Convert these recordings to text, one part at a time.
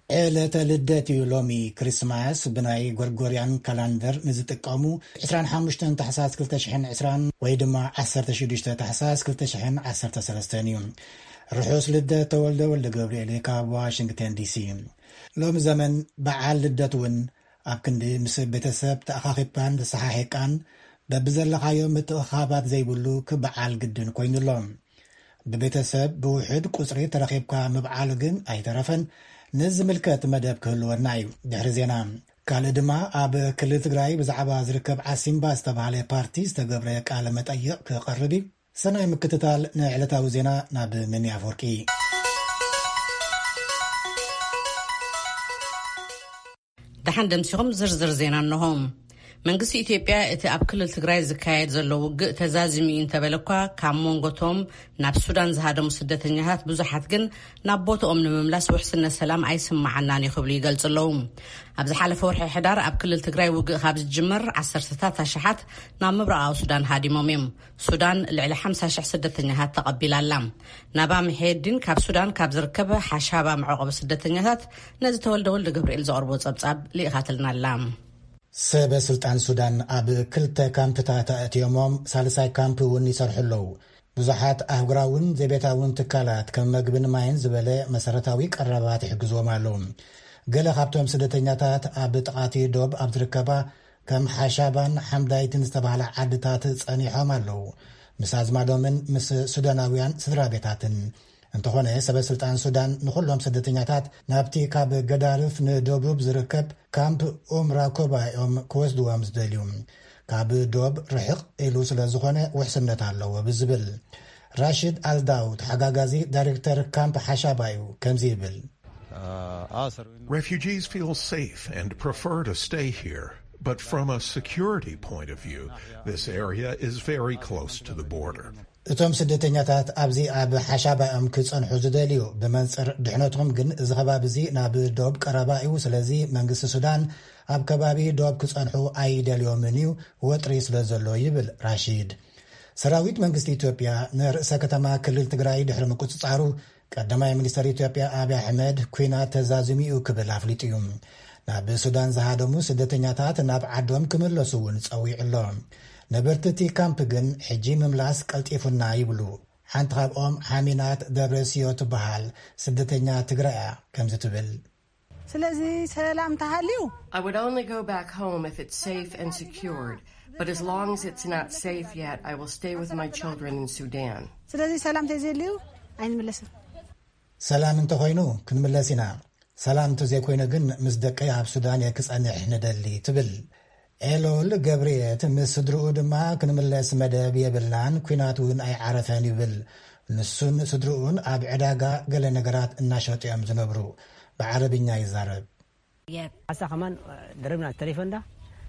ዕለተ ልደት እዩ ሎሚ። ክሪስማስ ብናይ ጎርጎርያን ካላንደር ንዝጥቀሙ ዕስራን ሓሙሽተን ታሕሳስ ክልተ ሽሕን ዕስራን ወይ ድማ ዓሰርተ ሽዱሽተ ታሕሳስ ክልተ ሽሕን ዓሰርተ ሰለስተን እዩ። ርሑስ ልደት ተወልደ ወልደ ገብርኤል ካብ ዋሽንግተን ዲሲ። ሎም ዘመን በዓል ልደት እውን ኣብ ክንዲ ምስ ቤተሰብ ተኣኻኺብካን ተሰሓሒቃን በብዘለኻዮ ምትእኻባት ዘይብሉ ክበዓል ግድን ኮይኑሎ። ብቤተሰብ ብውሕድ ቁጽሪ ተረኺብካ ምብዓል ግን ኣይተረፈን። ንዝምልከት መደብ ክህልወና እዩ ድሕሪ ዜና። ካልእ ድማ ኣብ ክልል ትግራይ ብዛዕባ ዝርከብ ዓሲምባ ዝተባህለ ፓርቲ ዝተገብረ ቃለ መጠይቕ ክቐርብ እዩ። ሰናይ ምክትታል ንዕለታዊ ዜና ናብ መኒ ኣፈወርቂ። ደሓን ደምሲኹም ዝርዝር ዜና እንሆ። መንግስቲ ኢትዮጵያ እቲ ኣብ ክልል ትግራይ ዝካየድ ዘሎ ውግእ ተዛዚሙ እዩ እንተበለ እኳ፣ ካብ መንጎቶም ናብ ሱዳን ዝሃደሙ ስደተኛታት ብዙሓት ግን ናብ ቦታኦም ንምምላስ ውሕስነት ሰላም ኣይስማዓናን እዩ ክብሉ ይገልጹ ኣለዉ። ኣብ ዝሓለፈ ወርሒ ሕዳር ኣብ ክልል ትግራይ ውግእ ካብ ዝጅምር ዓሰርተታት ኣሽሓት ናብ ምብራቓዊ ሱዳን ሃዲሞም እዮም። ሱዳን ልዕሊ ሓምሳ ሽሕ ስደተኛታት ተቐቢላ ኣላ። ናባ ምሒየዲን ካብ ሱዳን ካብ ዝርከበ ሓሻባ መዕቆቢ ስደተኛታት ነዚ ተወልደ ወልደ ገብርኤል ዘቕርቦ ጸብጻብ ልኢኻትልና ኣላ። ሰበ ስልጣን ሱዳን ኣብ ክልተ ካምፕታት ኣእትዮሞም፣ ሳልሳይ ካምፕ እውን ይሰርሑ ኣለዉ። ብዙሓት ኣህጉራውን ዘቤታውን ትካላት ከም መግብን ማይን ዝበለ መሰረታዊ ቀረባት ይሕግዝዎም ኣለዉ። ገለ ካብቶም ስደተኛታት ኣብ ጥቓቲ ዶብ ኣብ ዝርከባ ከም ሓሻባን ሓምዳይትን ዝተባህላ ዓድታት ጸኒሖም ኣለዉ። ምስ ኣዝማዶምን ምስ ሱዳናውያን ስድራ ቤታትን። እንተኾነ፣ ሰበ ስልጣን ሱዳን ንኹሎም ስደተኛታት ናብቲ ካብ ገዳርፍ ንደቡብ ዝርከብ ካምፕ ኡም ራኮባ እዮም ክወስድዎም ዝደልዩ። ካብ ዶብ ርሕቕ ኢሉ ስለ ዝኾነ ውሕስነት ኣለዎ ብዝብል። ራሽድ ኣልዳው፣ ተሓጋጋዚ ዳይሬክተር ካምፕ ሓሻባ እዩ፣ ከምዚ ይብል። Refugees feel safe and prefer to stay here, but from a security point of view, this area is very close to the border. እቶም ስደተኛታት ኣብዚ ኣብ ሓሻባ እዮም ክጸንሑ ዝደልዩ። ብመንጽር ድሕነቶም ግን እዚ ከባቢ እዚ ናብ ዶብ ቀረባ እዩ። ስለዚ መንግስቲ ሱዳን ኣብ ከባቢ ዶብ ክጸንሑ ኣይደልዮምን እዩ፣ ወጥሪ ስለ ዘሎ ይብል ራሺድ። ሰራዊት መንግስቲ ኢትዮጵያ ንርእሰ ከተማ ክልል ትግራይ ድሕሪ ምቁጽጻሩ፣ ቀዳማይ ሚኒስተር ኢትዮጵያ ኣብይ ኣሕመድ ኲናት ተዛዚሙ እዩ ክብል ኣፍሊጡ እዩ። ናብ ሱዳን ዝሃደሙ ስደተኛታት ናብ ዓዶም ክምለሱ እውን ጸዊዑ ኣሎ። ነበርቲ እቲ ካምፕ ግን ሕጂ ምምላስ ቀልጢፉና ይብሉ። ሓንቲ ካብኦም ሓሚናት ደብረስዮ ትበሃል ስደተኛ ትግራይ እያ። ከምዚ ትብል። ስለዚ ሰላም ተሃልዩ I would only go back home if it's safe and secured, but as long as it's not safe yet, I will stay with my children in Sudan. ስለዚ ሰላም ተዘልዩ ኣይንምለስን። ሰላም እንተኾይኑ ክንምለስ ኢና። ሰላም እንተዘይኮይኑ ግን ምስ ደቀይ ኣብ ሱዳን እየ ክጸንሕ ንደሊ ትብል። ኤሎል ገብርኤት ምስ ስድርኡ ድማ ክንምለስ መደብ የብልናን፣ ኲናት እውን ኣይዓረፈን ይብል። ንሱን ስድርኡን ኣብ ዕዳጋ ገለ ነገራት እናሸጡ እዮም ዝነብሩ። ብዓረብኛ ይዛረብ። حتى كمان ضربنا التليفون ده،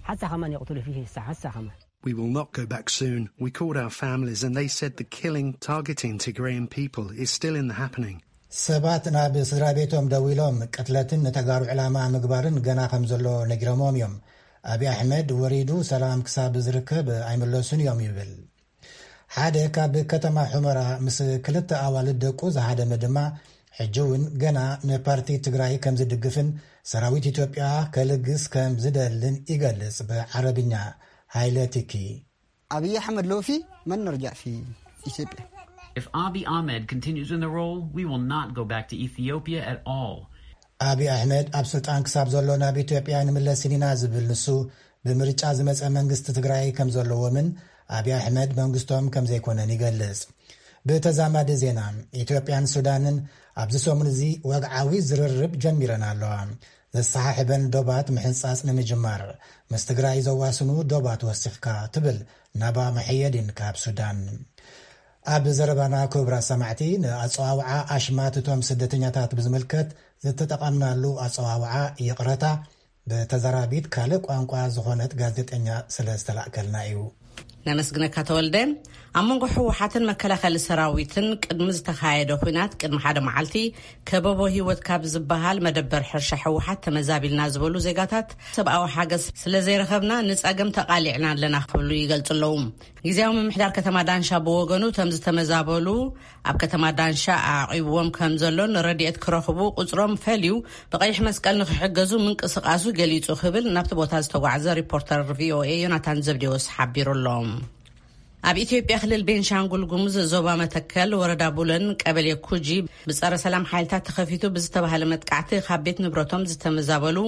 حتى كمان يقتلوا فيه هسه، حتى كمان. We will not go back soon. We called our families and they said the killing targeting Tigrayan people is still in the happening. ሰባት ናብ ስድራ ቤቶም ደዊሎም ቅትለትን ንተጋሩ ዕላማ ምግባርን ገና ከም ዘሎ ነጊሮምዎም እዮም። ኣብይ ኣሕመድ ወሪዱ ሰላም ክሳብ ዝርከብ ኣይምለሱን እዮም ይብል። ሓደ ካብ ከተማ ሑመራ ምስ ክልተ ኣዋልድ ደቁ ዝሃደመ ድማ ሕጂ እውን ገና ንፓርቲ ትግራይ ከም ዝድግፍን ሰራዊት ኢትዮጵያ ከልግስ ከም ዝደልን ይገልጽ ብዓረብኛ። ሃይለ ቲኪ። أبي أحمد لو في من نرجع في إثيوبيا. If Abiy Ahmed continues in the role, we will not go back to Ethiopia at all. ኣብይ ኣሕመድ ኣብ ስልጣን ክሳብ ዘሎ ናብ ኢትዮጵያ ንምለስን ኢና ዝብል ንሱ፣ ብምርጫ ዝመጸ መንግስቲ ትግራይ ከም ዘለዎምን ኣብይ ኣሕመድ መንግስቶም ከም ዘይኮነን ይገልጽ። ብተዛማዲ ዜና፣ ኢትዮጵያን ሱዳንን ኣብዚ ሰሙን እዚ ወግዓዊ ዝርርብ ጀሚረን ኣለዋ። ዘሰሓሕበን ዶባት ምሕንጻጽ ንምጅማር፣ ምስ ትግራይ ዘዋስኑ ዶባት ወሲኽካ ትብል ናባ መሐየዲን ካብ ሱዳን። ኣብ ዘረባና ክቡራት ሰማዕቲ፣ ንኣጸዋውዓ ኣሽማት እቶም ስደተኛታት ብዝምልከት ዝተጠቐምናሉ ኣጸዋውዓ ይቕረታ ብተዛራቢት ካልእ ቋንቋ ዝኾነት ጋዜጠኛ ስለ ዝተላእከልና እዩ። ነመስግነካ ተወልደ። ኣብ መንጎ ህወሓትን መከላኸሊ ሰራዊትን ቅድሚ ዝተኻየደ ኲናት ቅድሚ ሓደ መዓልቲ ከበቦ ህይወት ካብ ዝበሃል መደበር ሕርሻ ህወሓት ተመዛቢልና ዝበሉ ዜጋታት ሰብኣዊ ሓገዝ ስለ ዘይረኸብና ንጸገም ተቓሊዕና ኣለና ክብሉ ይገልጹ ኣለዉ። ግዝያዊ ምምሕዳር ከተማ ዳንሻ ብወገኑ እቶም ዝተመዛበሉ ኣብ ከተማ ዳንሻ ኣዕቂብዎም ከም ዘሎን ረድኤት ክረኽቡ ቁጽሮም ፈልዩ ብቐይሕ መስቀል ንክሕገዙ ምንቅስቃሱ ገሊጹ ክብል ናብቲ ቦታ ዝተጓዕዘ ሪፖርተር ቪኦኤ ዮናታን ዘብዴዎስ ሓቢሩ ኣሎ። ኣብ ኢትዮጵያ ክልል ቤንሻንጉል ጉሙዝ ዞባ መተከል ወረዳ ቡለን ቀበሌ ኩጂ ብጸረ ሰላም ሓይልታት ተኸፊቱ ብዝተባሃለ መጥቃዕቲ ካብ ቤት ንብረቶም ዝተመዛበሉ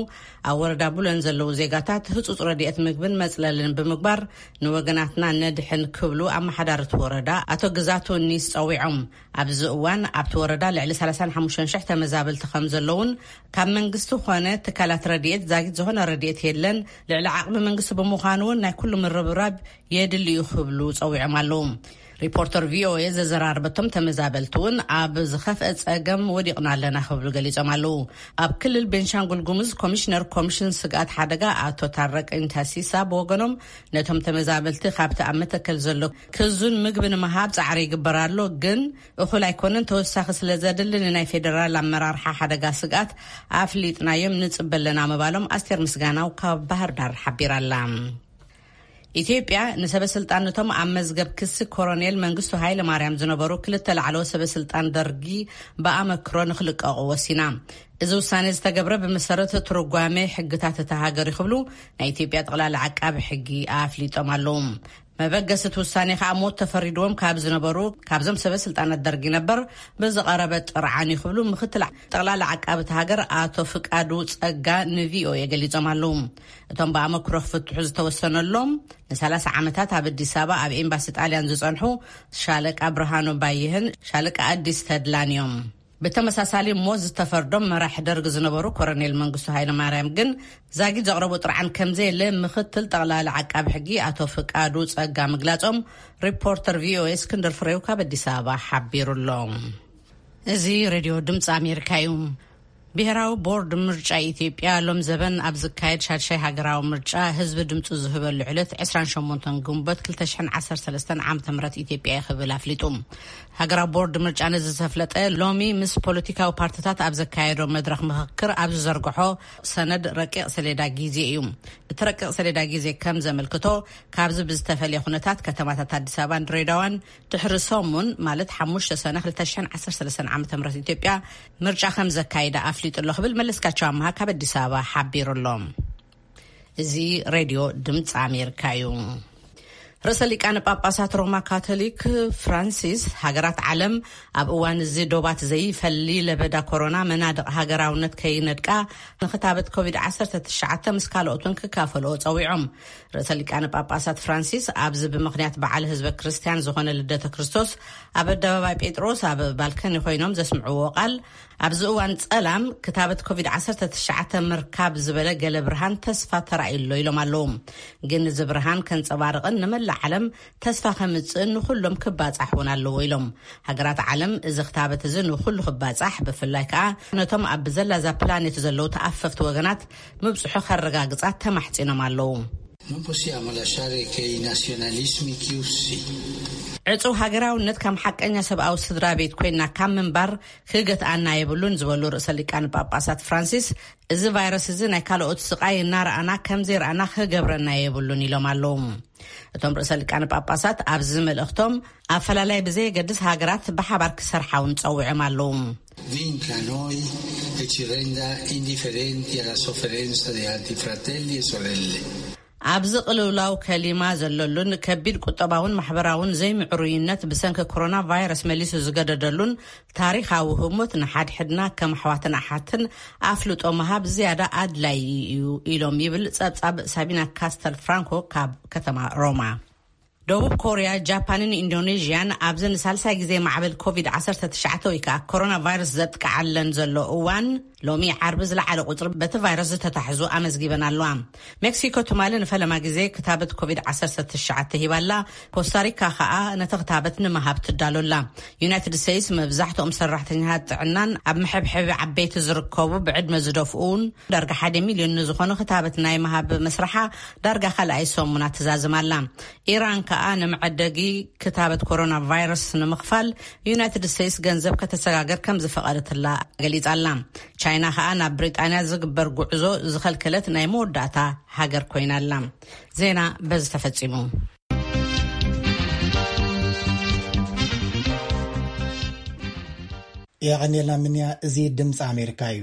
ኣብ ወረዳ ቡለን ዘለዉ ዜጋታት ህጹጽ ረድኤት ምግብን መጽለልን ብምግባር ንወገናትና ነድሕን ክብሉ ኣመሓዳሪ እቲ ወረዳ ኣቶ ግዛቱ ኒስ ጸዊዖም። ኣብዚ እዋን ኣብቲ ወረዳ ልዕሊ ሰላሳን ሓሙሽተን ሽሕ ተመዛበልቲ ከም ዘለውን ካብ መንግስቲ ኾነ ትካላት ረድኤት ዛጊት ዝኾነ ረድኤት የለን፣ ልዕሊ ዓቕሚ መንግስቲ ብምዃኑ እውን ናይ ኩሉ ምርብራብ የድሊ እዩ ክብሉ ጸዊዖም ኣለዉ። ሪፖርተር ቪኦኤ ዘዘራርበቶም ተመዛበልቲ እውን ኣብ ዝኸፍአ ጸገም ወዲቕና ኣለና ክብሉ ገሊጾም ኣለዉ። ኣብ ክልል ቤንሻንጉል ጉሙዝ ኮሚሽነር ኮሚሽን ስግኣት ሓደጋ ኣቶ ታረቀኝ ታሲሳ ብወገኖም ነቶም ተመዛበልቲ ካብቲ ኣብ መተከል ዘሎ ክዙን ምግቢ ንምሃብ ጻዕሪ ይግበር ኣሎ፣ ግን እኹል ኣይኮነን፣ ተወሳኺ ስለ ዘድሊ ንናይ ፌደራል ኣመራርሓ ሓደጋ ስግኣት ኣፍሊጥናዮም ንጽበ ኣለና ምባሎም ኣስቴር ምስጋናው ካብ ባህር ዳር ሓቢራ ኣላ። ኢትዮጵያ ንሰበ ስልጣን ነቶም ኣብ መዝገብ ክሲ ኮሎኔል መንግስቱ ሃይለ ማርያም ዝነበሩ ክልተ ላዕለዎት ሰበ ስልጣን ደርጊ ብኣመክሮ ንክልቀቑ ወሲና። እዚ ውሳኔ ዝተገብረ ብመሰረት ትርጓሜ ሕግታት እታ ሃገር እዩ ክብሉ ናይ ኢትዮጵያ ጠቕላላ ዓቃቢ ሕጊ ኣፍሊጦም ኣለዉ። መበገሲ እቲ ውሳኔ ከዓ ሞት ተፈሪድዎም ካብ ዝነበሩ ካብዞም ሰበ ስልጣናት ደርጊ ነበር ብዝቐረበ ጥርዓን እዩ ክብሉ ምክትል ጠቕላላ ዓቃቢ እቲ ሃገር ኣቶ ፍቃዱ ጸጋ ንቪኦኤ ገሊጾም ኣለዉ። እቶም ብኣመክሮ ክፍትሑ ዝተወሰነሎም ንሰላሳ ዓመታት ኣብ ኣዲስ ኣበባ ኣብ ኤምባሲ ጣልያን ዝጸንሑ ሻለቃ ብርሃኑ ባይህን ሻለቃ ኣዲስ ተድላን እዮም። ብተመሳሳሊ ሞት ዝተፈርዶም መራሒ ደርግ ዝነበሩ ኮሎኔል መንግስቱ ሃይለማርያም ግን ዛጊት ዘቕረቡ ጥርዓን ከም ዘየለ ምክትል ጠቕላሊ ዓቃቢ ሕጊ ኣቶ ፍቃዱ ጸጋ ምግላጾም ሪፖርተር ቪኦኤ እስክንድር ፍሬው ካብ ኣዲስ ኣበባ ሓቢሩ ኣሎ። እዚ ሬድዮ ድምፂ ኣሜሪካ እዩ። ብሄራዊ ቦርድ ምርጫ ኢትዮጵያ ሎም ዘበን ኣብ ዝካየድ ሻድሻይ ሃገራዊ ምርጫ ህዝቢ ድምፁ ዝህበሉ ዕለት ዕስራን ሸሞንተን ግንቦት ክልተ ሽሕን ዓሰርተ ሰለስተን ዓመተ ምህረት ኢትዮጵያ እዩ ክብል ኣፍሊጡ። ሃገራዊ ቦርድ ምርጫ ነዚ ዘፍለጠ ሎሚ ምስ ፖለቲካዊ ፓርቲታት ኣብ ዘካየዶ መድረኽ ምኽክር ኣብ ዝዘርግሖ ሰነድ ረቂቕ ሰሌዳ ግዜ እዩ። እቲ ረቂቕ ሰሌዳ ግዜ ከም ዘመልክቶ ካብዚ ብዝተፈለየ ኩነታት ከተማታት ኣዲስ ኣበባን ድሬዳዋን ድሕሪ ሰሙን ማለት ሓሙሽተ ሰነ ክልተ ሽሕን ዓሰርተ ሰለስተን ዓመተ ምህረት ኢትዮጵያ ምርጫ ከም ዘካይዳ ኣፍሊጡ ኣሎ ክብል መለስካቸው ኣምሃ ካብ ኣዲስ ኣበባ ሓቢሩ ኣሎ። እዚ ሬድዮ ድምፂ ኣሜሪካ እዩ። ርእሰ ሊቃነ ጳጳሳት ሮማ ካቶሊክ ፍራንሲስ ሃገራት ዓለም ኣብ እዋን እዚ ዶባት ዘይፈሊ ለበዳ ኮሮና መናድቕ ሃገራውነት ከይነድቃ ንክታበት ኮቪድ ዓሰርተ ትሽዓተ ምስ ካልኦት እውን ክካፈልኦ ጸዊዖም። ርእሰ ሊቃነ ጳጳሳት ፍራንሲስ ኣብዚ ብምኽንያት በዓል ህዝበ ክርስቲያን ዝኾነ ልደተ ክርስቶስ ኣብ ኣደባባይ ጴጥሮስ ኣብ ባልከኒ ኮይኖም ዘስምዕዎ ቃል ኣብዚ እዋን ጸላም ክታበት ኮቪድ ዓሰርተ ትሽዓተ ምርካብ ዝበለ ገለ ብርሃን ተስፋ ተራእዩ ኣሎ ኢሎም ኣለዉ። ግን እዚ ብርሃን ከንጸባርቕን ንመላእ ዓለም ተስፋ ከምጽእን ንኹሎም ክባጻሕ እውን ኣለዎ ኢሎም። ሃገራት ዓለም እዚ ክታበት እዚ ንኹሉ ክባጻሕ ብፍላይ ከኣ ነቶም ኣብ ዘላዛ ፕላኔት ዘለዉ ተኣፈፍቲ ወገናት ምብጽሑ ከረጋግጻ ተማሕጺኖም ኣለዉ። Non possiamo lasciare che i nazionalismi chiusi ዕጹው ሃገራውነት ከም ሓቀኛ ሰብኣዊ ስድራ ቤት ኮይና ካብ ምንባር ክገትኣና የብሉን ዝበሉ ርእሰ ሊቃነ ጳጳሳት ፍራንሲስ፣ እዚ ቫይረስ እዚ ናይ ካልኦት ስቓይ እናረኣና ከም ዘይረኣና ክገብረና የብሉን ኢሎም ኣለዉ። እቶም ርእሰ ሊቃነ ጳጳሳት ኣብዚ መልእኽቶም ኣፈላላይ ብዘየገድስ ሃገራት ብሓባር ክሰርሓ እውን ጸዊዖም ኣለዉ። vinca noi e ci renda indifferenti alla sofferenza di altri fratelli e sorelle. ኣብዚ ቅልውላው ከሊማ ዘለሉን ከቢድ ቁጠባውን ማሕበራውን ዘይምዕሩይነት ብሰንኪ ኮሮና ቫይረስ መሊሱ ዝገደደሉን ታሪኻዊ ህሞት ንሓድሕድና ከም ኣሕዋትን ኣሓትን ኣፍልጦ ምሃብ ዝያዳ ኣድላዪ እዩ ኢሎም ይብል ጸብጻብ ሳቢና ካስተል ፍራንኮ ካብ ከተማ ሮማ። ደቡብ ኮርያ፣ ጃፓንን ኢንዶኔዥያን ኣብዚ ንሳልሳይ ግዜ ማዕበል ኮቪድ ዓሰርተ ትሽዓተ ወይ ከዓ ኮሮና ቫይረስ ዘጥቅዓለን ዘሎ እዋን ሎሚ ዓርቢ ዝለዓለ ቁፅሪ በቲ ቫይረስ ዝተታሕዙ ኣመዝጊበን ኣለዋ። ሜክሲኮ ትማሊ ንፈለማ ግዜ ክታበት ኮቪድ ዓሰርተ ትሽዓተ ሂባላ። ኮስታሪካ ከዓ ነቲ ክታበት ንምሃብ ትዳሎላ። ዩናይትድ ስቴትስ መብዛሕትኦም ሰራሕተኛታት ጥዕናን ኣብ መሐብሐቢ ዓበይቲ ዝርከቡ ብዕድመ ዝደፍኡን ዳርጋ ሓደ ሚልዮን ንዝኾኑ ክታበት ናይ ምሃብ መስርሓ ዳርጋ ካልኣይ ሰሙና ትዛዝም ኣላ። ኢራን ከኣ ንመዐደጊ ክታበት ኮሮና ቫይረስ ንምኽፋል ዩናይትድ ስቴትስ ገንዘብ ከተሰጋገር ከም ዝፈቐደትላ ገሊጻ ኣላ። ቻይና ከኣ ናብ ብሪጣንያ ዝግበር ጉዕዞ ዝኸልከለት ናይ መወዳእታ ሃገር ኮይና ኣላ። ዜና በዚ ተፈጺሙ። የቐንየልና ምንያ፣ እዚ ድምፂ ኣሜሪካ እዩ።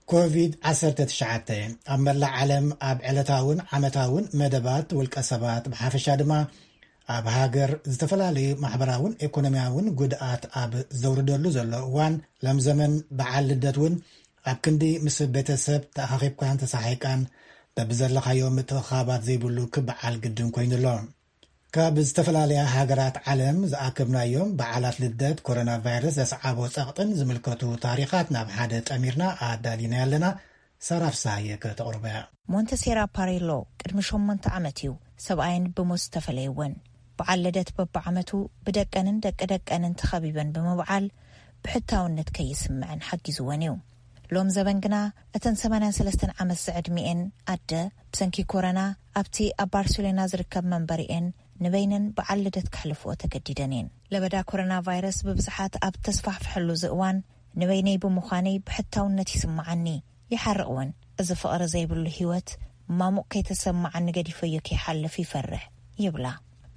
ኮቪድ ዓሰርተ ትሽዓተ ኣብ መላእ ዓለም ኣብ ዕለታውን ዓመታውን መደባት ውልቀ ሰባት ብሓፈሻ ድማ ኣብ ሃገር ዝተፈላለዩ ማሕበራውን ኢኮኖሚያውን ጉድኣት ኣብ ዘውርደሉ ዘሎ እዋን፣ ሎም ዘመን በዓል ልደት እውን ኣብ ክንዲ ምስ ቤተሰብ ተኣኻኺብካን ተሳሒቃን በብዘለኻዮ ምትእኻባት ዘይብሉ ክበዓል ግድን ኮይኑ ኣሎ። ካብ ዝተፈላለያ ሃገራት ዓለም ዝኣከብናዮም በዓላት ልደት ኮሮና ቫይረስ ዘስዓቦ ጸቕጥን ዝምልከቱ ታሪኻት ናብ ሓደ ጠሚርና ኣዳሊና ኣለና። ሳራ ፍስሃየ ከተቕርቦ እያ። ሞንተሴራ ፓሬሎ ቅድሚ ሸሞንተ ዓመት እዩ ሰብኣየን ብሞት ዝተፈለየወን። በዓል ልደት በብዓመቱ ብደቀንን ደቂ ደቀንን ተኸቢበን ብምብዓል ብሕታውነት ከይስምዐን ሓጊዝወን እዩ። ሎም ዘበን ግና እተን ሰማንያን ሰለስተን ዓመት ዝዕድሚኤን ኣደ ብሰንኪ ኮረና ኣብቲ ኣብ ባርሴሎና ዝርከብ መንበሪኤን ንበይነን በዓል ልደት ከሕልፍኦ ተገዲደን እየን። ለበዳ ኮሮና ቫይረስ ብብዝሓት ኣብ ተስፋሕፍሐሉ እዚ እዋን ንበይነይ ብምዃነይ ብሕታውነት ይስምዓኒ፣ ይሓርቕ እውን። እዚ ፍቕሪ ዘይብሉ ህይወት ማሙቕ ከይተሰምዓኒ ገዲፈዮ ከይሓልፍ ይፈርሕ ይብላ።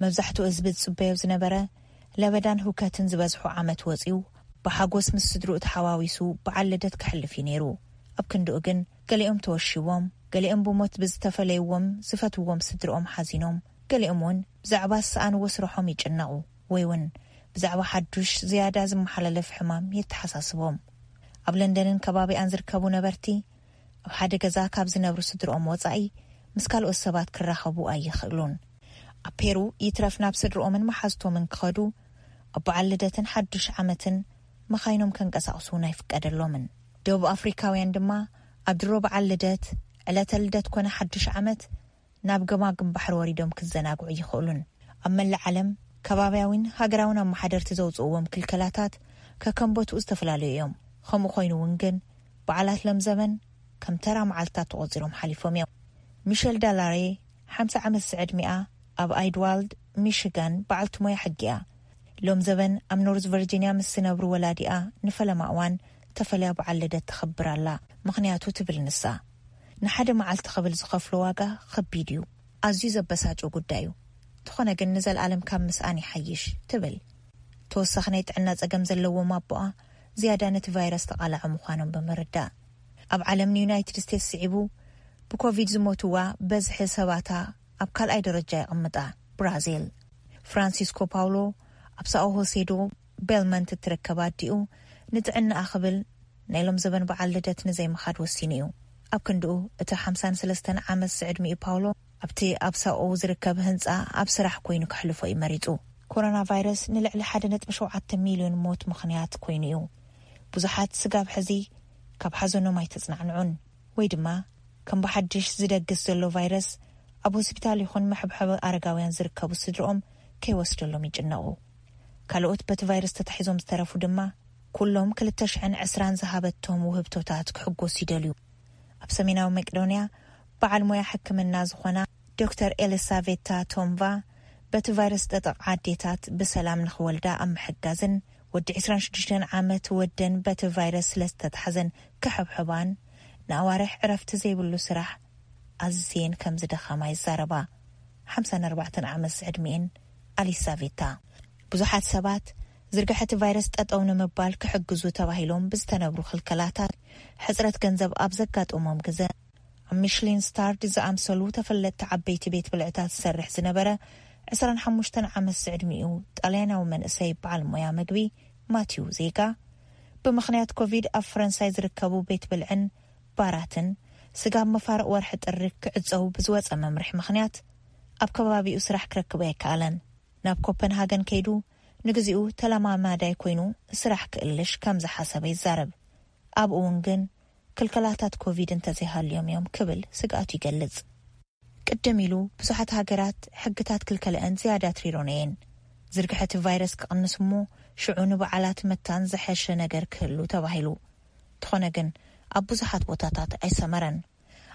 መብዛሕትኡ ህዝቢ ዝጽበዮ ዝነበረ ለበዳን ህውከትን ዝበዝሑ ዓመት ወጺኡ ብሓጎስ ምስ ስድርኡ ተሓዋዊሱ በዓል ልደት ከሕልፍ እዩ ነይሩ። ኣብ ክንድኡ ግን ገሊኦም ተወሺቦም፣ ገሊኦም ብሞት ብዝተፈለይዎም ዝፈትዎም ስድርኦም ሓዚኖም፣ ገሊኦም እውን ብዛዕባ ዝሰኣንዎ ስርሖም ይጭነቑ ወይ እውን ብዛዕባ ሓዱሽ ዝያዳ ዝመሓላለፍ ሕማም የተሓሳስቦም። ኣብ ለንደንን ከባቢኣን ዝርከቡ ነበርቲ ኣብ ሓደ ገዛ ካብ ዝነብሩ ስድርኦም ወጻኢ ምስ ካልኦት ሰባት ክራኸቡ ኣይኽእሉን። ኣብ ፔሩ ይትረፍ ናብ ስድርኦምን መሓዝቶምን ክኸዱ ኣብ በዓል ልደትን ሓዱሽ ዓመትን መኻይኖም ከንቀሳቕሱ እውን ኣይፍቀደሎምን። ደቡብ ኣፍሪካውያን ድማ ኣብ ድሮ በዓል ልደት፣ ዕለተ ልደት ኮነ ሓዱሽ ዓመት ናብ ገማግም ባሕሪ ወሪዶም ክዘናግዑ ይኽእሉን። ኣብ መላእ ዓለም ከባብያዊን ሃገራውን ኣመሓደርቲ ዘውፅእዎም ክልከላታት ከከም ቦትኡ ዝተፈላለዩ እዮም። ከምኡ ኮይኑ እውን ግን በዓላት ሎም ዘበን ከም ተራ መዓልትታት ተቖፂሮም ሓሊፎም እዮም። ሚሸል ዳላሬ ሓምሳ ዓመት ዝዕድሚኣ ኣብ ኣይድዋልድ ሚሽጋን በዓልቲ ሞያ ሕጊ እያ። ሎም ዘበን ኣብ ኖርዝ ቨርጂንያ ምስ ዝነብሩ ወላዲኣ ንፈለማ እዋን ተፈልያ በዓል ልደት ተኸብር ኣላ። ምኽንያቱ ትብል ንሳ፣ ንሓደ መዓልቲ ክብል ዝኸፍሎ ዋጋ ከቢድ እዩ። ኣዝዩ ዘበሳጩ ጉዳይ እዩ። እንተኾነ ግን ንዘለኣለም ካብ ምስኣን ይሓይሽ ትብል። ተወሳኺ ናይ ጥዕና ጸገም ዘለዎም ኣቦኣ ዝያዳ ነቲ ቫይረስ ተቓላዒ ምዃኖም ብምርዳእ፣ ኣብ ዓለም ንዩናይትድ ስቴትስ ስዒቡ ብኮቪድ ዝሞትዋ በዝሒ ሰባታ ኣብ ካልኣይ ደረጃ የቐምጣ። ብራዚል። ፍራንሲስኮ ፓውሎ ኣብ ሳኦ ሆሴዶ ቤልመንት እትርከብ ኣዲኡ ንጥዕናኣ ክብል ናይ ሎም ዘበን በዓል ልደት ንዘይምኻድ ወሲኑ እዩ። ኣብ ክንድኡ እቲ ሓምሳን ሰለስተን ዓመት ዝዕድሚኡ ፓውሎ ኣብቲ ኣብ ሳኦ ዝርከብ ህንጻ ኣብ ስራሕ ኮይኑ ከሕልፎ እዩ መሪጹ። ኮሮና ቫይረስ ንልዕሊ ሓደ ነጥቢ ሸውዓተ ሚልዮን ሞት ምኽንያት ኮይኑ እዩ። ብዙሓት ስጋብ ሕዚ ካብ ሓዘኖም ኣይተጽናዕንዑን፣ ወይ ድማ ከም ብሓድሽ ዝደግስ ዘሎ ቫይረስ ኣብ ሆስፒታል ይኹን መሐብሐቢ ኣረጋውያን ዝርከቡ ስድርኦም ከይወስደሎም ይጭነቑ። ካልኦት በቲ ቫይረስ ተታሒዞም ዝተረፉ ድማ ኩሎም ክልተ ሽሕን ዕስራን ዝሃበቶም ውህብቶታት ክሕጎሱ ይደልዩ። ኣብ ሰሜናዊ መቄዶንያ በዓል ሞያ ሕክምና ዝኾና ዶክተር ኤሊሳቬታ ቶምቫ በቲ ቫይረስ ጠጠቕ ኣዴታት ብሰላም ንኽወልዳ ኣብ ምሕጋዝን ወዲ ዕስራን ሽዱሽተን ዓመት ወደን በቲ ቫይረስ ስለ ዝተታሕዘን ክሕብሕባን ንኣዋርሕ ዕረፍቲ ዘይብሉ ስራሕ ኣዝየን ከም ዝደኸማ ይዛረባ። ሓምሳን ኣርባዕተን ዓመት ዝዕድሚኤን ኣሊሳቬታ። ብዙሓት ሰባት ዝርግሐ እቲ ቫይረስ ጠጠው ንምባል ክሕግዙ ተባሂሎም ብዝተነብሩ ክልከላታት ሕጽረት ገንዘብ ኣብ ዘጋጠሞም ግዘ ኣብ ሚሽሊን ስታርድ ዝኣምሰሉ ተፈለጥቲ ዓበይቲ ቤት ብልዕታት ዝሰርሕ ዝነበረ ዕስራን ሓሙሽተን ዓመት ዝዕድሚኡ ጣልያናዊ መንእሰይ በዓል ሞያ መግቢ ማቲው ዜጋ ብምኽንያት ኮቪድ ኣብ ፈረንሳይ ዝርከቡ ቤት ብልዕን ባራትን ስጋብ መፋርቕ ወርሒ ጥሪ ክዕጸው ብዝወጸ መምርሒ ምኽንያት ኣብ ከባቢኡ ስራሕ ክረክብ ኣይከኣለን። ናብ ኮፐንሃገን ከይዱ ንግዚኡ ተለማማዳይ ኮይኑ ስራሕ ክእልሽ ከም ዝሓሰበ ይዛረብ። ኣብኡ እውን ግን ክልከላታት ኮቪድ እንተዘይሃልዮም እዮም ክብል ስግኣቱ ይገልጽ። ቅድም ኢሉ ብዙሓት ሃገራት ሕግታት ክልከለአን ዝያዳ ትሪሮን እየን። ዝርግሐ እቲ ቫይረስ ክቕንስ እሞ ሽዑ ንበዓላት መታን ዝሐሸ ነገር ክህሉ ተባሂሉ። እንተኾነ ግን ኣብ ብዙሓት ቦታታት ኣይሰመረን።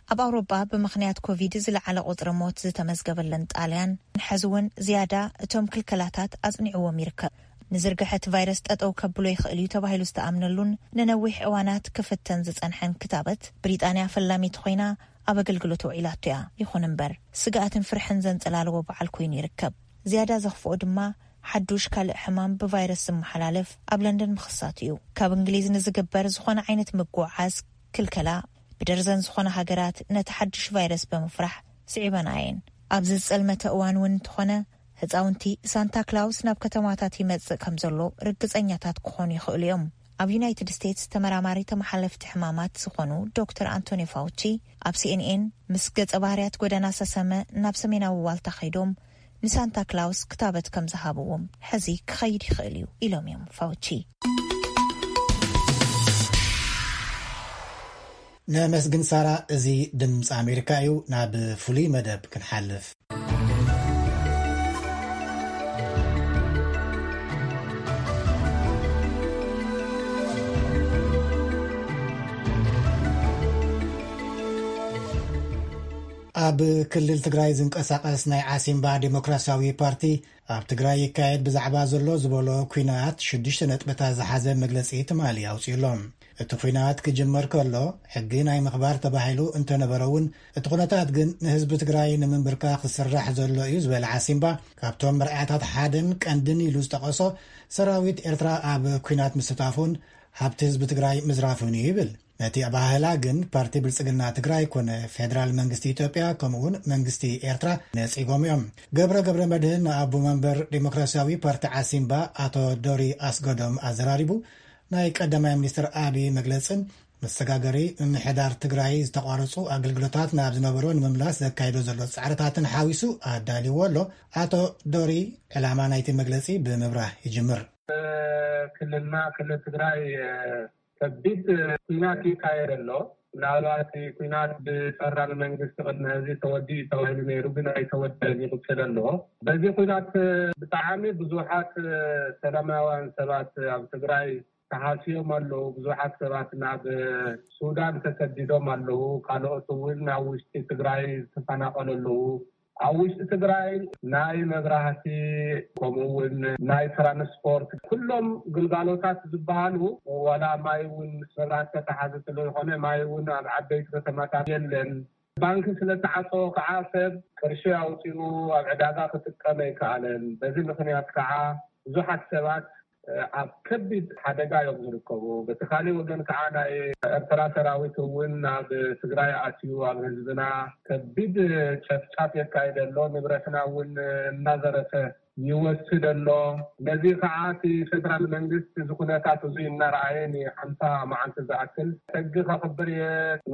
ኣብ ኣውሮጳ ብምኽንያት ኮቪድ ዝለዓለ ቁጽሪ ሞት ዝተመዝገበለን ጣልያን፣ ሕዚ እውን ዝያዳ እቶም ክልከላታት ኣጽኒዕዎም ይርከብ። ንዝርግሐ እቲ ቫይረስ ጠጠው ከብሎ ይኽእል እዩ ተባሂሉ ዝተኣምነሉን ንነዊሕ እዋናት ክፍተን ዝጸንሐን ክታበት፣ ብሪጣንያ ፈላሚት ኮይና ኣብ ኣገልግሎት ውዒላቶ እያ። ይኹን እምበር፣ ስግኣትን ፍርሕን ዘንጸላለዎ በዓል ኮይኑ ይርከብ። ዝያዳ ዘኽፍኦ ድማ፣ ሓዱሽ ካልእ ሕማም ብቫይረስ ዝመሓላለፍ ኣብ ለንደን ምኽሳቱ እዩ። ካብ እንግሊዝ ንዝግበር ዝኾነ ዓይነት ምጉዓዝ ክልከላ፣ ብደርዘን ዝኾነ ሃገራት ነቲ ሓዱሽ ቫይረስ ብምፍራሕ ስዒበና እየን። ኣብዚ ዝጸልመተ እዋን እውን እንተኾነ፣ ህጻውንቲ ሳንታ ክላውስ ናብ ከተማታት ይመጽእ ከም ዘሎ ርግጸኛታት ክኾኑ ይኽእሉ እዮም። ኣብ ዩናይትድ ስቴትስ ተመራማሪ ተመሓለፍቲ ሕማማት ዝኾኑ ዶክተር ኣንቶኒ ፋውቺ፣ ኣብ ሲኤንኤን፣ ምስ ገጸ ባህርያት ጎደና ሰሰመ ናብ ሰሜናዊ ዋልታ ከይዶም፣ ንሳንታ ክላውስ ክታበት ከም ዝሃብዎም፣ ሕዚ ክኸይድ ይኽእል እዩ ኢሎም እዮም ፋውቺ። ነመስግን ሳራ። እዚ ድምፂ ኣሜሪካ እዩ። ናብ ፍሉይ መደብ ክንሓልፍ። ኣብ ክልል ትግራይ ዝንቀሳቐስ ናይ ዓሲምባ ዴሞክራሲያዊ ፓርቲ፣ ኣብ ትግራይ ይካየድ ብዛዕባ ዘሎ ዝበሎ ኲናት ሽዱሽተ ነጥብታት ዝሓዘ መግለፂ ትማሊ ኣውፂኡ ኣሎ። እቲ ኲናት ክጅመር ከሎ፣ ሕጊ ናይ ምኽባር ተባሂሉ እንተነበረ እውን፣ እቲ ኩነታት ግን ንህዝቢ ትግራይ ንምንብርካኽ ዝስራሕ ዘሎ እዩ ዝበለ ዓሲምባ፣ ካብቶም መርኣያታት ሓደን ቀንድን ኢሉ ዝጠቐሶ፣ ሰራዊት ኤርትራ ኣብ ኲናት ምስታፉን ሃብቲ ህዝቢ ትግራይ ምዝራፉን እዩ ይብል። ነቲ ኣባህላ ግን ፓርቲ ብልጽግና ትግራይ ኮነ ፌደራል መንግስቲ ኢትዮጵያ፣ ከምኡውን መንግስቲ ኤርትራ ነጺጎም እዮም። ገብረ ገብረ መድህን ንኣቦ መንበር ዴሞክራሲያዊ ፓርቲ ዓሲምባ ኣቶ ዶሪ ኣስገዶም ኣዘራሪቡ፣ ናይ ቀዳማይ ሚኒስትር ኣቢ መግለጽን መሰጋገሪ ምምሕዳር ትግራይ ዝተቋረጹ ኣገልግሎታት ናብ ዝነበሮ ንምምላስ ዘካይዶ ዘሎ ጻዕርታትን ሓዊሱ ኣዳልይዎ ኣሎ። ኣቶ ዶሪ፣ ዕላማ ናይቲ መግለጺ ብምብራህ ይጅምር። ክልልና፣ ክልል ትግራይ፣ ከቢድ ኲናት ይካየድ ኣሎ። ምናልባት ኲናት ብፈደራል መንግስቲ ቅድሚ ሕዚ ተወዲኡ ተባሂሉ ነይሩ፣ ግን ኣይተወደን፣ ይቕጽል ኣሎ። በዚ ኲናት ብጣዕሚ ብዙሓት ሰላማውያን ሰባት ኣብ ትግራይ ተሃስዮም ኣለዉ። ብዙሓት ሰባት ናብ ሱዳን ተሰዲዶም ኣለዉ። ካልኦት እውን ኣብ ውሽጢ ትግራይ ዝተፈናቐሉ ኣለዉ። ኣብ ውሽጢ ትግራይ ናይ መብራህቲ፣ ከምኡ እውን ናይ ትራንስፖርት፣ ኩሎም ግልጋሎታት ዝበሃሉ፣ ዋላ ማይ እውን ምስ መብራህቲ ተተሓዘ ስለ ዝኾነ፣ ማይ እውን ኣብ ዓበይቲ ከተማታት የለን። ባንኪ ስለ ተዓፀወ ከዓ ሰብ ቅርሺ ኣውፂኡ ኣብ ዕዳጋ ክጥቀም ኣይከኣለን። በዚ ምኽንያት ከዓ ብዙሓት ሰባት ኣብ ከቢድ ሓደጋ እዮም ዝርከቡ። በቲ ካሊእ ወገን ከዓ ናይ ኤርትራ ሰራዊት እውን ናብ ትግራይ ኣትዩ ኣብ ህዝብና ከቢድ ጨፍጫፍ የካይድ ኣሎ። ንብረትና እውን እናዘረፈ ይወስድ ኣሎ። ነዚ ከዓ እቲ ፌደራል መንግስቲ እዚ ኩነታት እዚ እናረኣየ ንሓምሳ መዓልቲ ዝኣክል ሕጊ ከኽብር እየ፣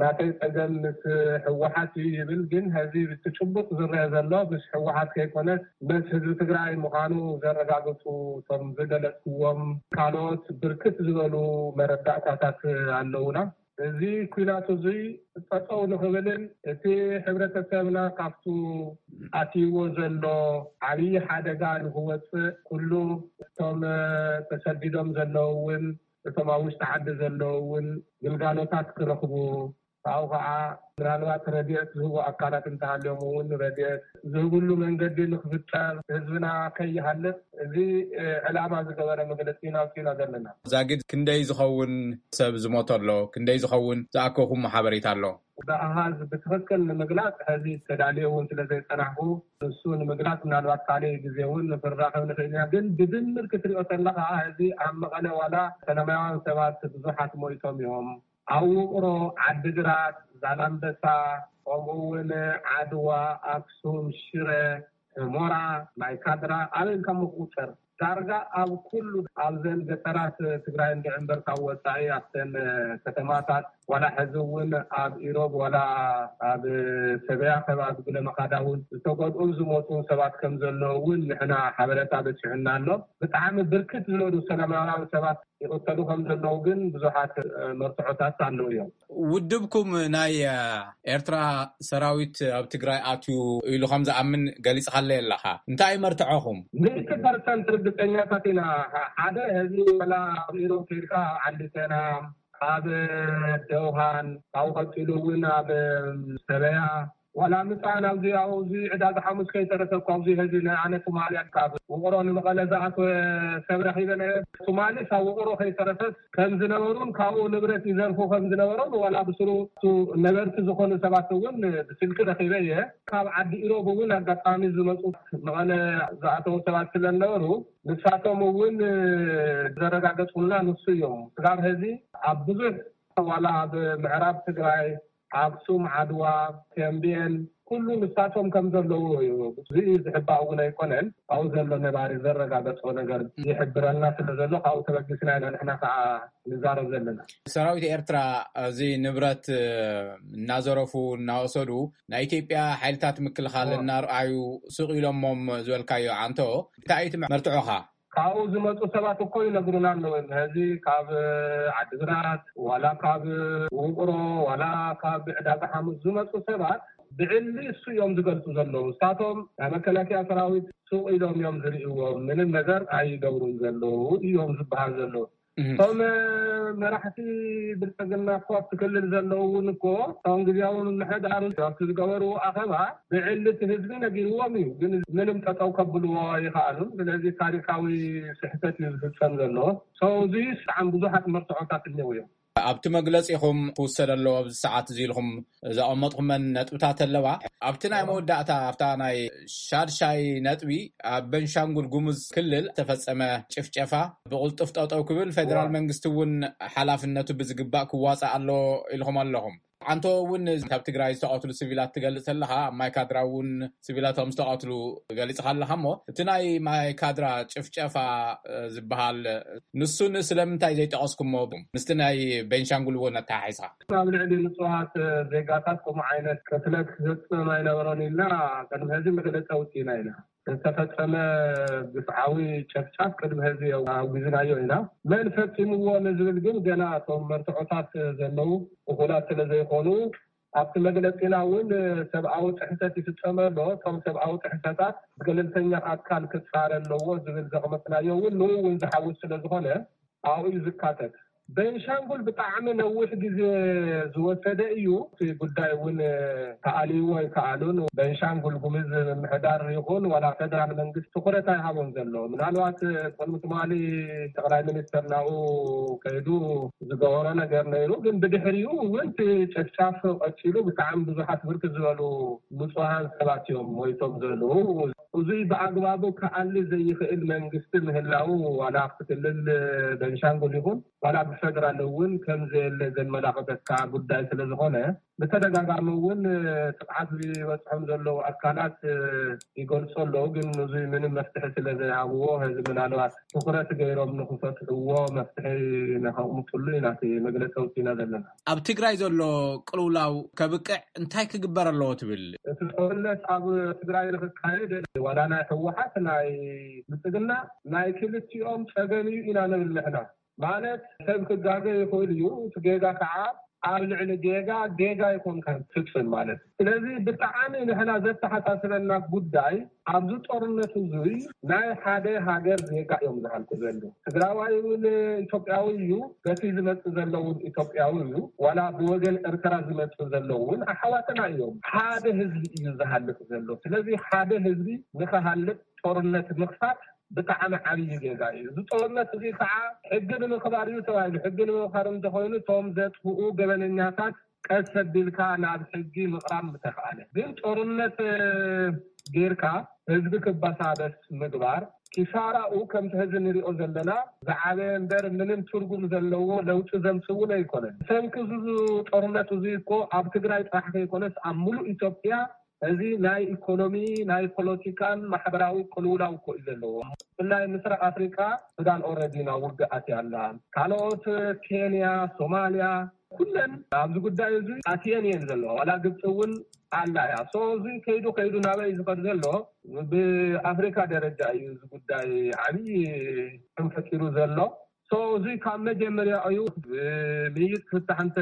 ናተይ ፀገም ምስ ህወሓት እዩ ይብል። ግን ሕዚ እቲ ጭቡጥ ዝረአ ዘሎ ምስ ህወሓት ከይኮነስ ምስ ህዝቢ ትግራይ ምዃኑ ዘረጋግፁ እቶም ዝገለፅዎም ካልኦት ብርክት ዝበሉ መረዳእታታት ኣለውና። እዚ ኲናት እዙይ ጠጠው ንኽብልን እቲ ሕብረተሰብና ካብቱ ኣትይዎ ዘሎ ዓብዪ ሓደጋ ንኽወፅእ ኩሉ እቶም ተሰዲዶም ዘለዉ እውን እቶም ኣብ ውሽጢ ዓዲ ዘለዉ እውን ግልጋሎታት ክረኽቡ፣ ካብኡ ከዓ ምናልባት ረድኤት ዝህቡ ኣካላት እንተሃልዮም እውን ረድኤት ዝህብሉ መንገዲ ንክፍጠር ህዝብና ከይሃልቅ እዚ ዕላማ ዝገበረ መግለፂ ኢና ኣውፂእና ዘለና። ዛጊድ ክንደይ ዝኸውን ሰብ ዝሞተ ኣሎ? ክንደይ ዝኸውን ዝኣከኹሞ ሓበሬታ ኣሎ? ብኣሃዝ ብትኽክል ንምግላፅ ሕዚ ተዳልየ እውን ስለዘይፀናሕኩ ንሱ ንምግላፅ ምናልባት ካልእ ግዜ እውን ንክራኸብ ንኽእል ኢና። ግን ብድምር ክትሪኦ ከለካ ሕዚ ኣብ መቐለ ዋላ ሰላማውያን ሰባት ብዙሓት ሞይቶም እዮም። ኣብ ውቕሮ፣ ዓዲግራት፣ ዛላምበሳ፣ ከምኡ እውን ዓድዋ፣ ኣክሱም፣ ሽረ፣ ሑመራ፣ ማይካድራ ኣበይ ኢልካ ምቁፅር ዳርጋ ኣብ ኩሉ ኣብዘን ገጠራት ትግራይ እንድዒ እምበር ካብ ወፃኢ ኣብተን ከተማታት ዋላ ሕዚ እውን ኣብ ኢሮብ ዋላ ኣብ ሰበያ ከባቢ ጉለመኻዳ እውን ዝተጎድኡን ዝሞቱን ሰባት ከም ዘለዉ እውን ንሕና ሓበሬታ በፂሑና ኣሎ። ብጣዕሚ ብርክት ዝበሉ ሰላማውያን ሰባት ይቕተሉ ከም ዘለዉ ግን ብዙሓት መርትዖታት ኣለዉ እዮም። ውድብኩም ናይ ኤርትራ ሰራዊት ኣብ ትግራይ ኣትዩ ኢሉ ከም ዝኣምን ገሊፅካለይ ኣለኻ። እንታይ እዩ መርትዖኹም? ሚእቲ ፐርሰንት ርግፀኛታት ኢና። ሓደ ሕዚ ዋላ ኣብ ኢሮብ ከይድካ ዓዲ ቻይና ኣብ ደውሃን ካብኡ ቀፂሉ እውን ኣብ ሰበያ ዋላ ምፃን ኣብዚ ኣብዚ ዕዳጋ ሓሙስ ከይተረፈ እኮ ኣብዚ ሕዚ ንኣነ ትማሊ ካብ ውቕሮ ንመቐለ ዝኣተወ ሰብ ረኺበ ነይረ። ትማሊ ካብ ውቕሮ ከይተረፈ ከም ዝነበሩን ካብኡ ንብረት ይዘርፉ ከም ዝነበሮም ዋላ ብስሩ ነበርቲ ዝኾኑ ሰባት እውን ብስልኪ ረኺበ እየ። ካብ ዓዲ ኢሮብ እውን ኣጋጣሚ ዝመፁ መቐለ ዝኣተዉ ሰባት ስለ ዝነበሩ ንሳቶም እውን ዘረጋገፁልና ንሱ እዮም። ስጋብ ሕዚ ኣብ ብዙሕ ዋላ ኣብ ምዕራብ ትግራይ ኣክሱም፣ ዓድዋ፣ ተምቤን ኩሉ ንሳቶም ከም ዘለዉ እዩ። እዚ ዝሕባእ እውን ኣይኮነን። ኣብኡ ዘሎ ነባሪ ዘረጋገጾ ነገር ይሕብረልና ስለ ዘሎ ካብኡ ተበጊስና ኢና ንሕና ከዓ ንዛረብ ዘለና። ሰራዊት ኤርትራ እዚ ንብረት እናዘረፉ እናወሰዱ ናይ ኢትዮጵያ ሓይልታት ምክልኻል እናርኣዩ ስቕ ኢሎሞም ዝበልካዮ ኣንቶ እንታይ እዩ እቲ መርትዖኻ? ካብኡ ዝመፁ ሰባት እኮ ይነግሩና ኣለዉ። ሕዚ ካብ ዓዲግራት ዋላ ካብ ውቕሮ ዋላ ካብ ዕዳጋ ሓሙስ ዝመፁ ሰባት ብዕሊ እሱ እዮም ዝገልፁ ዘለዉ። ንሳቶም ናይ መከላከያ ሰራዊት ሱቕ ኢሎም እዮም ዝርእዎም። ምንም ነገር ኣይገብሩን ዘለዉ እዮም ዝበሃል ዘለዉ። እቶም መራሕቲ ብልፅግና እኮ ኣብቲ ክልል ዘለዉ እውን እኮ እቶም ግዜያዊ ምምሕዳር ኣብቲ ዝገበርዎ ኣኸባ ብዕሊ እቲ ህዝቢ ነጊርዎም እዩ። ግን ምንም ጠጠው ከብልዎ ኣይኸኣሉን። ስለዚ ታሪካዊ ስሕተት እዩ ዝፍፀም ዘሎ። ሰው እዚ ብጣዕሚ ብዙሓት መርትዖታት እኒአው እዮም። ኣብቲ መግለፂኹም ክውሰድ ኣለዎ ኣብዚ ሰዓት እዚ ኢልኩም ዘቐመጥኩመን ነጥብታት ኣለዋ። ኣብቲ ናይ መወዳእታ ኣብታ ናይ ሻድሻይ ነጥቢ ኣብ ቤንሻንጉል ጉሙዝ ክልል ዝተፈፀመ ጭፍጨፋ ብቕልጡፍ ጠጠው ክብል ፌደራል መንግስቲ እውን ሓላፍነቱ ብዝግባእ ክዋፃእ ኣለዎ ኢልኩም ኣለኹም። ኣንቶ እውን ካብ ትግራይ ዝተቐትሉ ሲቪላት ትገልፅ ኣለኻ፣ ኣብ ማይካድራ እውን ሲቪላት ከም ዝተቐትሉ ገሊፅኻ ኣለኻ። እሞ እቲ ናይ ማይካድራ ጭፍጨፋ ዝበሃል ንሱን ስለምንታይ ዘይጠቐስኩሞ ምስቲ ናይ ቤንሻንጉል እውን ኣተሓሒዝካ? ኣብ ልዕሊ ንፁሃት ዜጋታት ከምኡ ዓይነት ቅትለት ክፍፅም ኣይነበሮን ኢልና ቅድሚ ሕዚ መግለፂ ኣውፂእና ኢና። ዝተፈፀመ ግፍዓዊ ጨፍጫፍ ቅድሚ ሕዚ ኣውጊዝናዮ ኢና። መን ፈፂምዎ ንዝብል ግን ገና እቶም መርትዖታት ዘለዉ እኹላት ስለ ዘይኮኑ ኣብቲ መግለፂና እውን ሰብኣዊ ጥሕሰት ይፍፀመ ኣሎ። እቶም ሰብኣዊ ጥሕሰታት ብገለልተኛ ኣካል ክፃረ ኣለዎ ዝብል ዘቕመጥናዮ እውን ንኡ እውን ዝሓውስ ስለ ዝኾነ ኣብኡ እዩ ዝካተት። ቤንሻንጉል ብጣዕሚ ነዊሕ ግዜ ዝወሰደ እዩ። እቲ ጉዳይ እውን ተኣልይዎ ኣይከኣሉን። ቤንሻንጉል ጉምዝ ምምሕዳር ይኹን ዋላ ፌደራል መንግስቲ ትኹረት ኣይሃቦን ዘሎ። ምናልባት ቅድሚ ትማሊ ጠቕላይ ሚኒስተር ናብኡ ከይዱ ዝገበሮ ነገር ነይሩ። ግን ብድሕሪኡ እውን እቲ ጨፍጫፍ ቀፂሉ ብጣዕሚ ብዙሓት ብርክት ዝበሉ ንፁሃን ሰባት እዮም ሞይቶም ዘለዉ። እዙይ ብኣግባቡ ክኣሊ ዘይኽእል መንግስቲ ምህላዉ ዋላ ኣብቲ ክልል ቤንሻንጉል ይኹን ዋላ ብፌደራል እውን ከም ዘየለ ዘመላኽተካ ጉዳይ ስለ ዝኾነ ብተደጋጋሚ እውን ጥቕዓት ዝበፅሖም ዘለዉ ኣካላት ይገልፁ ኣለዉ። ግን እዙይ ምንም መፍትሒ ስለ ዘይሃብዎ ሕዚ ምናልባት ትኹረት ገይሮም ንክፈትሕዎ መፍትሒ ንኸቕምጥሉ ኢና እቲ መግለፂ ኣውፂእና ዘለና። ኣብ ትግራይ ዘሎ ቅልውላው ከብቅዕ እንታይ ክግበር ኣለዎ ትብል? እቲ ጦርነት ኣብ ትግራይ ንክካየድ ዋላ ናይ ህወሓት ናይ ብልፅግና ናይ ክልቲኦም ፀገም እዩ ኢና ንብል ንሕና። ማለት ሰብ ክጋገ ይኽእል እዩ። እቲ ጌጋ ከዓ ኣብ ልዕሊ ጌጋ ጌጋ ኣይኮንካን ትፍፅም ማለት እዩ። ስለዚ ብጣዕሚ ንሕና ዘተሓሳስበና ጉዳይ ኣብዚ ጦርነት እዙይ ናይ ሓደ ሃገር ዜጋ እዮም ዝሃልቁ ዘለዉ። ትግራዋይ እውን ኢትዮጵያዊ እዩ። በቲ ዝመፅእ ዘሎ እውን ኢትዮጵያዊ እዩ። ዋላ ብወገን ኤርትራ ዝመፅእ ዘሎ እውን ኣሕዋትና እዮም። ሓደ ህዝቢ እዩ ዝሃልቅ ዘሎ። ስለዚ ሓደ ህዝቢ ንክሃልቅ ጦርነት ምኽፋት ብጣዕሚ ዓብዪ ጌጋ እዩ። እዚ ጦርነት እዚ ከዓ ሕጊ ንምኽባር እዩ ተባሂሉ። ሕጊ ንምኽባር እንተኾይኑ እቶም ዘጥፍኡ ገበነኛታት ቀስ ኣቢልካ ናብ ሕጊ ምቕራብ ምተኽኣለ። ግን ጦርነት ጌርካ ህዝቢ ክበሳበስ ምግባር ኪሳራኡ ከምቲ ሕዚ ንሪኦ ዘለና ዝዓበየ እምበር ምንም ትርጉም ዘለዎ ለውጢ ዘምፅእ እውን ኣይኮነን። ሰንኪ እዚ ጦርነት እዚ እኮ ኣብ ትግራይ ጥራሕ ከይኮነስ ኣብ ሙሉእ ኢትዮጵያ እዚ ናይ ኢኮኖሚ ናይ ፖለቲካን ማሕበራዊ ቅልውላው እኮ እዩ ዘለዎ። ብፍላይ ምስራቅ ኣፍሪቃ ሱዳን ኦረዲ ናብ ውግእ ኣትያ ኣላ። ካልኦት ኬንያ፣ ሶማልያ ኩለን ኣብዚ ጉዳይ እዚ ኣትየን እየን ዘለዋ። ዋላ ግብፂ እውን ኣላ እያ። ሶ እዚ ከይዱ ከይዱ ናበይ ዝኸድ ዘሎ? ብኣፍሪካ ደረጃ እዩ እዚ ጉዳይ ዓብዪ ሕም ፈጢሩ ዘሎ። እዚ ካብ መጀመርያ እዩ። ምይይጥ ፍታሕ እንተ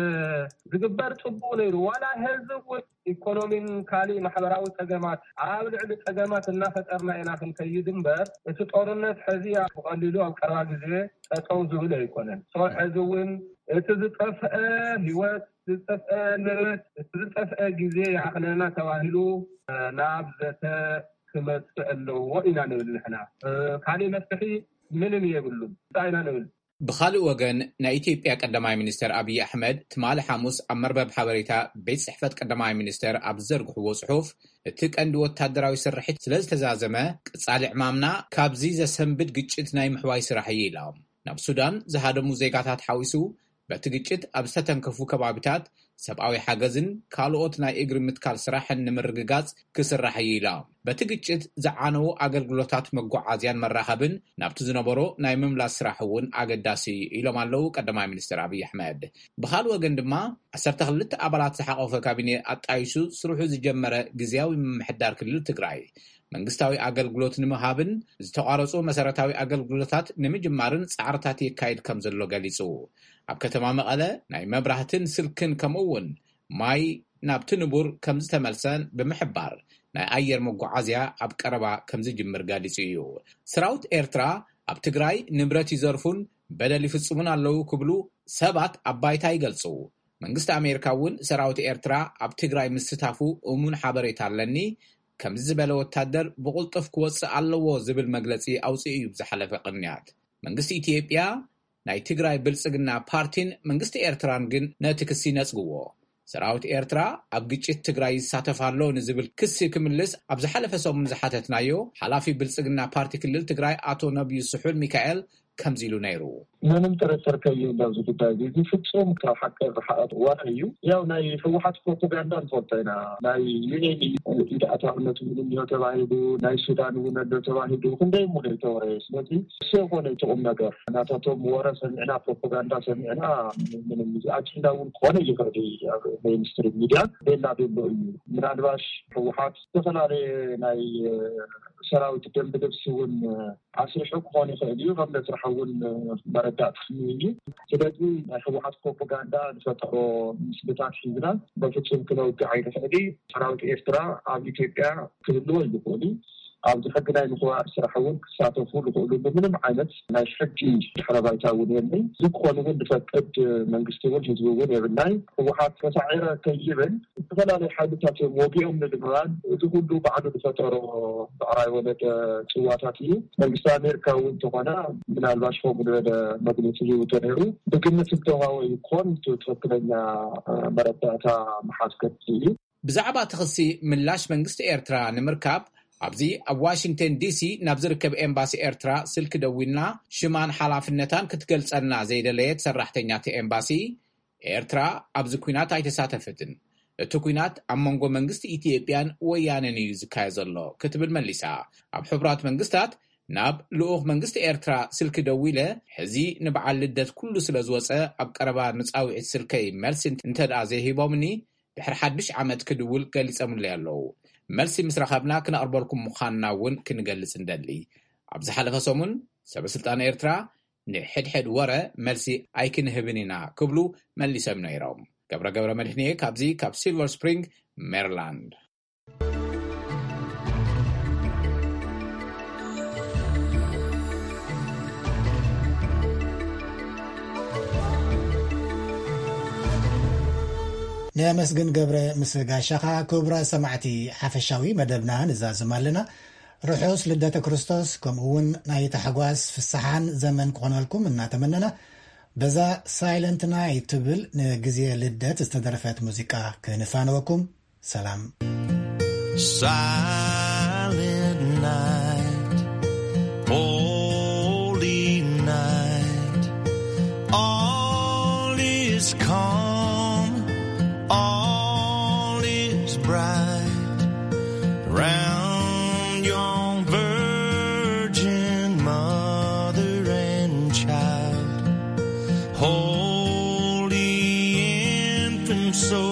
ዝግበር ጽቡቕ ነይሩ። ዋላ ህዝብ እውን ኢኮኖሚን ካልእ ማሕበራዊ ጸገማት ኣብ ልዕሊ ጸገማት እናፈጠርና ኢና ክንከይድ እምበር፣ እቲ ጦርነት ሕዚ ብቐሊሉ ኣብ ቀረባ ግዜ ጠጠው ዝብል ኣይኮነን። ሶ ሕዚ እውን እቲ ዝጠፍአ ህይወት፣ ዝጠፍአ ንብረት፣ እቲ ዝጠፍአ ግዜ ይኣኽለና ተባሂሉ ናብ ዘተ ክመጽእ ኣለዎ ኢና ንብል ንሕና። ካልእ መፍትሒ ምንም የብሉን። እንታይ ኢና ንብል? ብኻልእ ወገን፣ ናይ ኢትዮጵያ ቀዳማይ ሚኒስተር ኣብይ ኣሕመድ ትማሊ ሓሙስ ኣብ መርበብ ሓበሬታ ቤት ጽሕፈት ቀዳማይ ሚኒስተር ኣብ ዝዘርግሕዎ ጽሑፍ፣ እቲ ቀንዲ ወታደራዊ ስርሒት ስለ ዝተዛዘመ፣ ቀጻሊ ዕማምና ካብዚ ዘሰንብድ ግጭት ናይ ምሕዋይ ስራሕ እዩ ኢሎም። ናብ ሱዳን ዝሃደሙ ዜጋታት ሓዊሱ፣ በቲ ግጭት ኣብ ዝተተንከፉ ከባቢታት ሰብኣዊ ሓገዝን ካልኦት ናይ እግሪ ምትካል ስራሕን ንምርግጋጽ ክስራሕ እዩ ኢሎም። በቲ ግጭት ዝዓነዉ ኣገልግሎታት መጓዓዝያን መራኸብን ናብቲ ዝነበሮ ናይ ምምላስ ስራሕ እውን ኣገዳሲ እዩ ኢሎም ኣለዉ ቀዳማይ ሚኒስትር ኣብይ ኣሕመድ። ብኻልእ ወገን ድማ ዓሰርተ ክልተ ኣባላት ዝሓቖፈ ካቢኔ ኣጣይሹ ስርሑ ዝጀመረ ግዝያዊ ምምሕዳር ክልል ትግራይ መንግስታዊ ኣገልግሎት ንምሃብን ዝተቋረጹ መሰረታዊ ኣገልግሎታት ንምጅማርን ጻዕርታት የካይድ ከም ዘሎ ገሊጹ። ኣብ ከተማ መቐለ ናይ መብራህትን ስልክን ከምኡ እውን ማይ ናብቲ ንቡር ከም ዝተመልሰን ብምሕባር ናይ ኣየር መጓዓዝያ ኣብ ቀረባ ከም ዝጅምር ገሊጹ እዩ። ሰራዊት ኤርትራ ኣብ ትግራይ ንብረት ይዘርፉን በደል ይፍጽሙን ኣለዉ ክብሉ ሰባት ኣብ ባይታ ይገልጹ። መንግስቲ ኣሜሪካ እውን ሰራዊት ኤርትራ ኣብ ትግራይ ምስታፉ እሙን ሓበሬታ ኣለኒ፣ ከምዚ ዝበለ ወታደር ብቕልጡፍ ክወጽእ ኣለዎ ዝብል መግለጺ ኣውጺኡ እዩ ብዝሓለፈ ቅንያት። መንግስቲ ኢትዮጵያ፣ ናይ ትግራይ ብልጽግና ፓርቲን መንግስቲ ኤርትራን ግን ነቲ ክሲ ነጽግዎ። ሰራዊት ኤርትራ ኣብ ግጭት ትግራይ ይሳተፍ ኣሎ ንዝብል ክሲ ክምልስ ኣብ ዝሓለፈ ሰሙን ዝሓተትናዮ ሓላፊ ብልጽግና ፓርቲ ክልል ትግራይ ኣቶ ነብዩ ስሑል ሚካኤል ከምዚ ኢሉ ነይሩ። ምንም ጥርጥር ከይህሉ ኣብዚ ጉዳይ እዚ፣ እዚ ፍጹም ካብ ሓቂ ዝሓቐ ወረ እዩ። ያው ናይ ህወሓት ፕሮፓጋንዳ ንፈልጦ ኢና። ናይ ዩኤን ኢድ ኣእታውነት እውን እንዲሆ ተባሂሉ፣ ናይ ሱዳን እውን ኣሎ ተባሂሉ፣ ክንደይ እሞ ነው የተወረየ። ስለዚ እሱ የኮነ እቲ ቁም ነገር። ናታቶም ወረ ሰሚዕና፣ ፕሮፓጋንዳ ሰሚዕና፣ ምንም እዚ ኣጀንዳ እውን ክኾነ ይኽእል እዩ ኣብ ሜይንስትሪም ሚድያ። ቤላ ቤሎ እዩ። ምናልባሽ ህወሓት ዝተፈላለየ ናይ ሰራዊት ደንብ ልብሲ እውን ኣስሪሑ ክኾን ይኽእል እዩ። ከም ዘስርሐ እውን መረዳእታ እዩ። ስለዚ ናይ ህወሓት ፕሮፓጋንዳ ዝፈጠሮ ምስልታት ሒዝና በፍጹም ክነውግዕ ኣይንኽእል እዩ። ሰራዊት ኤርትራ ኣብ ኢትዮጵያ ክህልዎ ይኽእል እዩ። ኣብዚ ሕጊ ናይ ምኽባር ስራሕ እውን ክሳተፉ ዝኽእሉሉ ምንም ዓይነት ናይ ሕጊ ድሕረ ባይታ እውን የለይ። እዚ ክኾን እውን ዝፈቅድ መንግስቲ እውን ህዝቢ እውን የብልናይ። ህወሓት ተሳዒረ ከይብል ዝተፈላለዩ ሓይልታት እዮም ወጊኦም ንምባል፣ እዚ ኩሉ ባዕሉ ዝፈጠሮ ብዕራይ ወለደ ጽዋታት እዩ። መንግስቲ ኣሜሪካ እውን እንተኾነ ምናልባሽ ከምኡ ዝበለ መግለጺ ሂቡ ተነይሩ፣ ብግምት እንተዋወ ይኮን እቲ ትኽክለኛ መረዳእታ መሓዝ ከድሊ እዩ። ብዛዕባ እቲ ክሲ ምላሽ መንግስቲ ኤርትራ ንምርካብ ኣብዚ ኣብ ዋሽንግተን ዲሲ ናብ ዝርከብ ኤምባሲ ኤርትራ ስልኪ ደዊልና ሽማን ሓላፍነታን ክትገልጸልና ዘይደለየት ሰራሕተኛ እቲ ኤምባሲ፣ ኤርትራ ኣብዚ ኲናት ኣይተሳተፈትን። እቲ ኲናት ኣብ መንጎ መንግስቲ ኢትዮጵያን ወያነን እዩ ዝካየድ ዘሎ ክትብል መሊሳ። ኣብ ሕቡራት መንግስታት ናብ ልኡኽ መንግስቲ ኤርትራ ስልኪ ደዊለ፣ ሕዚ ንበዓል ልደት ኩሉ ስለ ዝወጸ ኣብ ቀረባ ንጻውዒት ስልከይ መልሲ እንተ ደኣ ዘይሂቦምኒ ድሕሪ ሓድሽ ዓመት ክድውል ገሊጸምለይ ኣለዉ። መልሲ ምስ ረኸብና ክነቕርበልኩም ምዃንና እውን ክንገልጽ እንደሊ። ኣብ ዝሓለፈ ሰሙን ሰበ ስልጣን ኤርትራ ንሕድሕድ ወረ መልሲ ኣይክንህብን ኢና ክብሉ መሊሶም ነይሮም። ገብረ ገብረ መድህንየ ካብዚ ካብ ሲልቨር ስፕሪንግ ሜሪላንድ። ነመስግን ገብረ ምስ ጋሻኻ። ክቡራት ሰማዕቲ፣ ሓፈሻዊ መደብና ንዛዝም ኣለና። ርሑስ ልደተ ክርስቶስ፣ ከምኡ እውን ናይ ታሕጓስ ፍስሓን ዘመን ክኾነልኩም እናተመነና፣ በዛ ሳይለንት ናይት ትብል ንግዜ ልደት ዝተደረፈት ሙዚቃ ክንፋነወኩም። ሰላም። Silent night, holy night, all is calm, all is bright. Round your virgin mother and child, holy infant, so